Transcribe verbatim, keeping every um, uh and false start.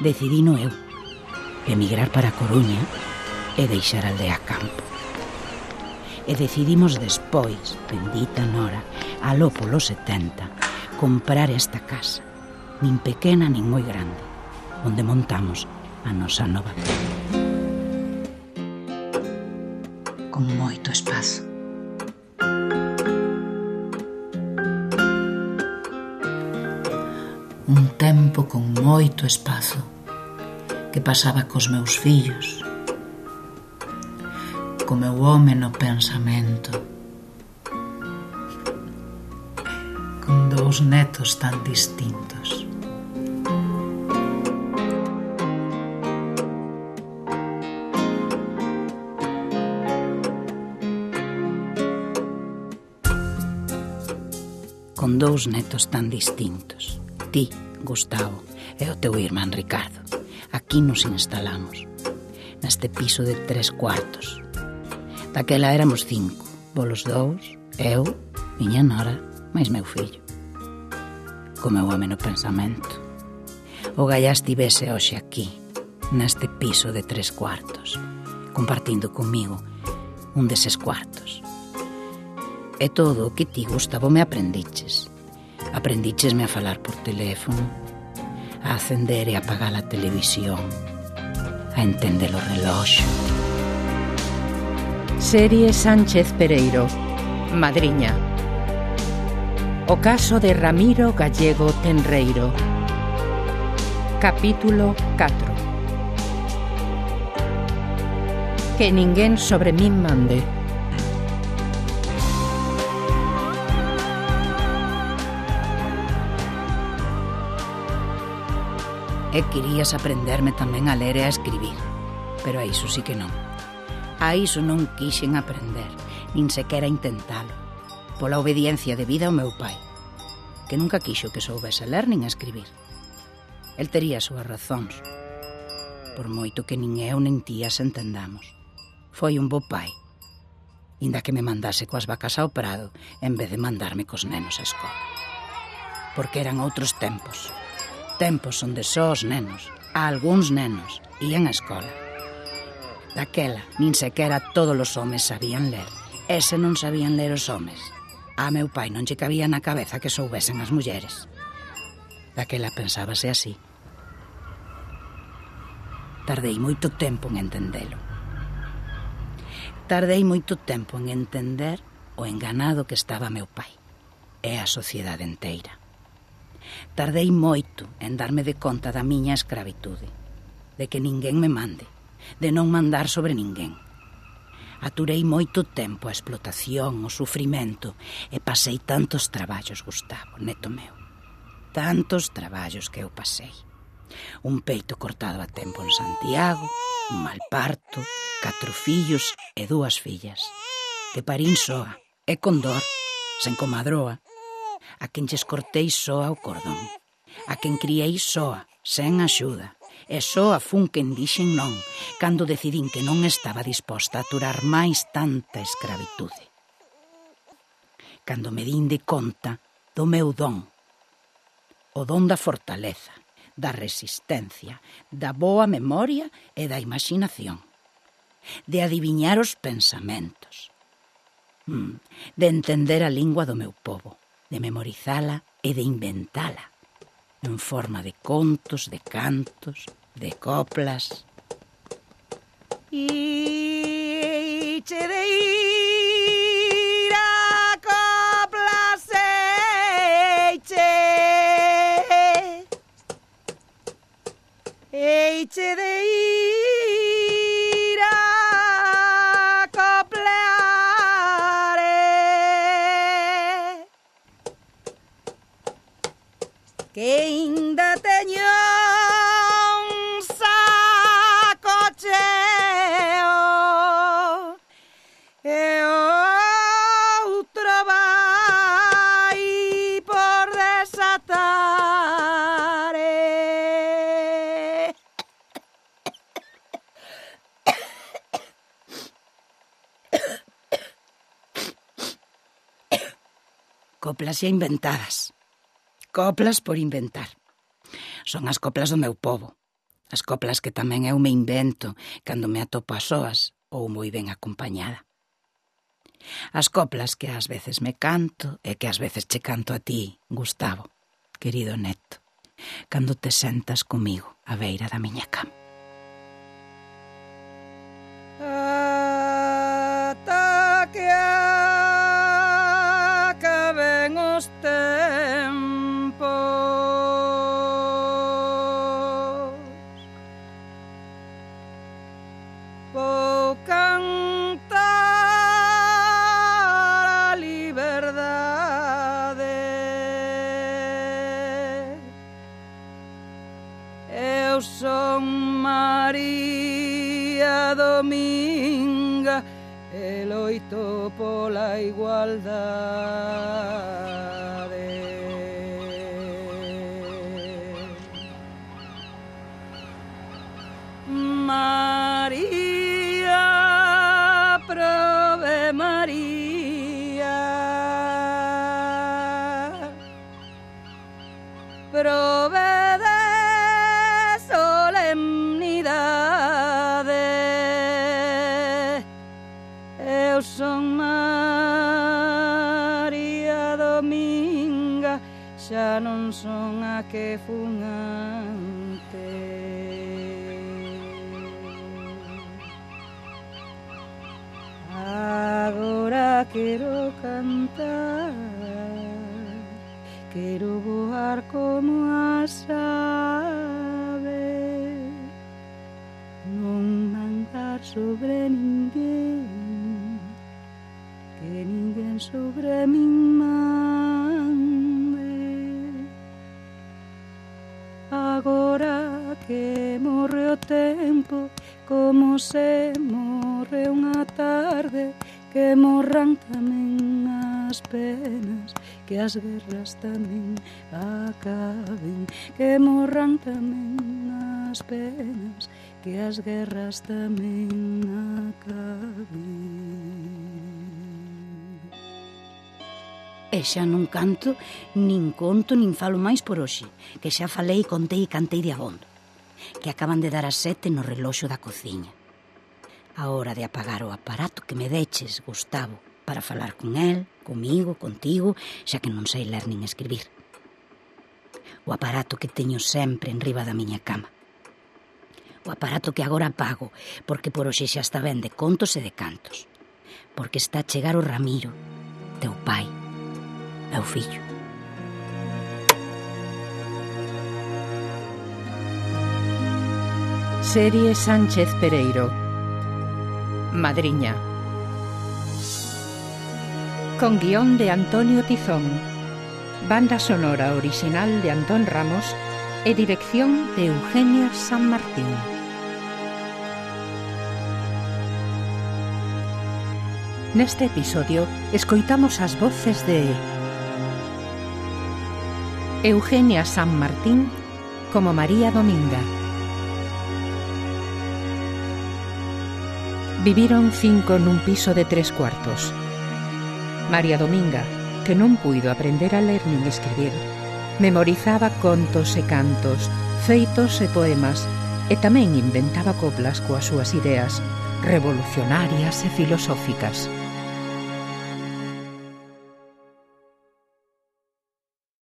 decidino eu emigrar para a Coruña e deixar a aldea campo. E decidimos despois, bendita Nora, aló polos setenta, comprar esta casa, nin pequena nin moi grande, onde montamos a nosa nova vida. Con moito espazo. Un tempo con moito espazo que pasaba cos meus fillos, co meu home no pensamento, con dous netos tan distintos. Con dous netos tan distintos. Ti, Gustavo, e o teu irmán Ricardo. Aquí nos instalamos, neste piso de tres cuartos. Daquela éramos cinco, volos dous, eu, miña nora, máis meu fillo. Co meu home no pensamento. O gallá estivese hoxe aquí, neste piso de tres cuartos, compartindo comigo un deses cuartos. E todo o que ti, Gustavo, me aprendiches. Aprendichesme a falar por teléfono, a acender e apagar a televisión, a entender o reloxo. Serie Sánchez Pereiro, Madriña. O caso de Ramiro Gallego Tenreiro. Capítulo catro. Que ninguén sobre min mande. E querías aprenderme tamén a ler e a escribir, pero a iso sí que non. A iso non quixen aprender, nin sequera intentalo, pola obediencia debida ao meu pai, que nunca quixo que soubese ler nin escribir. El tería as súas razóns, por moito que nin eu nin ti as entendamos. Foi un bo pai, inda que me mandase coas vacas ao prado en vez de mandarme cos nenos á escola. Porque eran outros tempos. Tempos onde só os nenos, a algúns nenos, ían á escola. Daquela, nin sequera todos os homes sabían ler. E se non sabían ler os homes, a meu pai non lle cabía na cabeza que soubesen as mulleres. Daquela pensábase así. Tardei moito tempo en entendelo. Tardei moito tempo en entender o enganado que estaba meu pai e a sociedade enteira. Tardei moito en darme de conta da miña escravitude, de que ninguén me mande, de non mandar sobre ninguén. Aturei moito tempo a explotación, o sufrimento, e pasei tantos traballos, Gustavo, neto meu. Tantos traballos que eu pasei. Un peito cortado a tempo en Santiago, un mal parto, catro fillos e dúas fillas, que parín soa, e con dor, sen comadroa, a quen lles cortei soa o cordón, a quen criei soa, sen axuda, e soa fun quen dixen non, cando decidín que non estaba disposta a aturar máis tanta escravitude. Cando me din de conta do meu don, o don da fortaleza, da resistencia, da boa memoria e da imaginación, de adiviñar os pensamentos, de entender a lingua do meu pobo, de memorizala e de inventala, en forma de contos, de cantos, de coplas. E che de ir a coplas eiche, eiche de ir a coplar, que ainda teño un saco cheo e outro vai por desatar. Coplas xa inventadas. Coplas por inventar. Son as coplas do meu pobo, As coplas que tamén eu me invento cando me atopo a soas ou moi ben acompañada. As coplas que ás veces me canto e que ás veces che canto a ti, Gustavo, querido neto, cando te sentas comigo á beira da miña cama. Ata que acaben os tempos, vou cantar a liberdade. Eu son María Dominga e loito pola igualdade. María, prove María, prove de solemnidade. Eu son María Dominga, xa non son a que fun antes. Agora quero cantar, quero voar como as aves, non mandar sobre ninguén, que ninguén sobre min mande. Agora que morre o tempo, como se morre unha tarde, que morran tamén as penas, que as guerras tamén acaben, que morran tamén as penas, que as guerras tamén acaben. E xa non canto, nin conto, nin falo máis por hoxe, que xa falei, contei e cantei de abondo, que acaban de dar as sete no reloxo da cociña. A hora de apagar o aparato que me deches, Gustavo, para falar con el, comigo, contigo, xa que non sei ler nin escribir. O aparato que teño sempre en riba da miña cama. O aparato que agora apago, porque por hoxe xa está ben de contos e de cantos. Porque está a chegar o Ramiro, teu pai, meu fillo. Serie Sánchez Pereiro. Madriña. Con guión de Antonio Tizón, banda sonora original de Antón Ramos e dirección de Eugenia San Martín. Neste episodio escoitamos as voces de Eugenia San Martín como María Dominga. Viviron cinco nun piso de tres cuartos. María Dominga, que non puido aprender a ler nin escribir, memorizaba contos e cantos, feitos e poemas, e tamén inventaba coplas coas súas ideas revolucionarias e filosóficas.